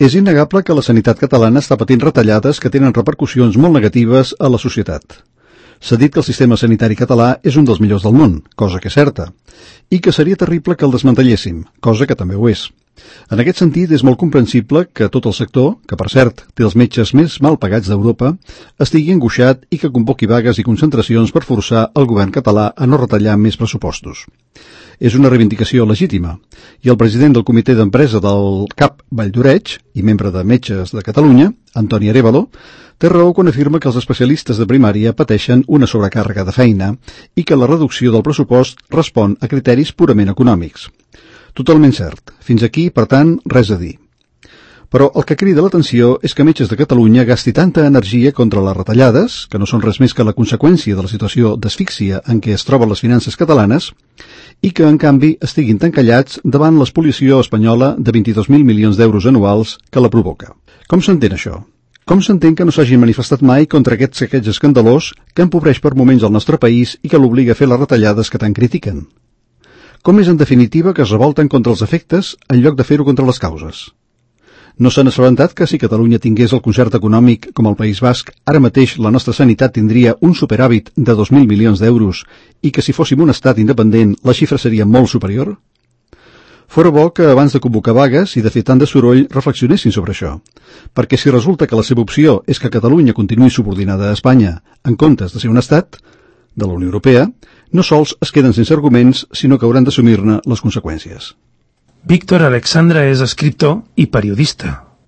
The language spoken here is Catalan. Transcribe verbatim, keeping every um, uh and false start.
És innegable que la sanitat catalana està patint retallades que tenen repercussions molt negatives a la societat. S'ha dit que el sistema sanitari català és un dels millors del món, cosa que és certa, i que seria terrible que el desmantelléssim, cosa que també ho és. En aquest sentit, és molt comprensible que tot el sector, que per cert té els metges més mal pagats d'Europa, estigui angoixat i que convoqui vagues i concentracions per forçar el govern català a no retallar més pressupostos. És una reivindicació legítima, i el president del comitè d'empresa del C A P Valldoreix i membre de Metges de Catalunya, Antoni Arévalo, té raó quan afirma que els especialistes de primària pateixen una sobrecàrrega de feina i que la reducció del pressupost respon a criteris purament econòmics. Totalment cert. Fins aquí, per tant, res a dir. Però el que crida l'atenció és que Metges de Catalunya gasti tanta energia contra les retallades, que no són res més que la conseqüència de la situació d'asfíxia en què es troben les finances catalanes, i que, en canvi, estiguin tan callats davant l'espoliació espanyola de vint-i-dos mil milions d'euros anuals que la provoca. Com s'entén això? Com s'entén que no s'hagin manifestat mai contra aquest saqueig escandalós que empobreix per moments el nostre país i que l'obliga a fer les retallades que tant critiquen? Com és, en definitiva, que es revolten contra els efectes en lloc de fer-ho contra les causes? No s'han assabentat que si Catalunya tingués el concert econòmic com el País Basc, ara mateix la nostra sanitat tindria un superàvit de dos mil milions d'euros i que si fóssim un estat independent la xifra seria molt superior? Fora bo que abans de convocar vagues i de fer tant de soroll reflexionessin sobre això, perquè si resulta que la seva opció és que Catalunya continuï subordinada a Espanya en comptes de ser un estat de la Unió Europea, no sols es queden sense arguments, sinó que hauran d'assumir-ne les conseqüències. Víctor Alexandra és escriptor i periodista.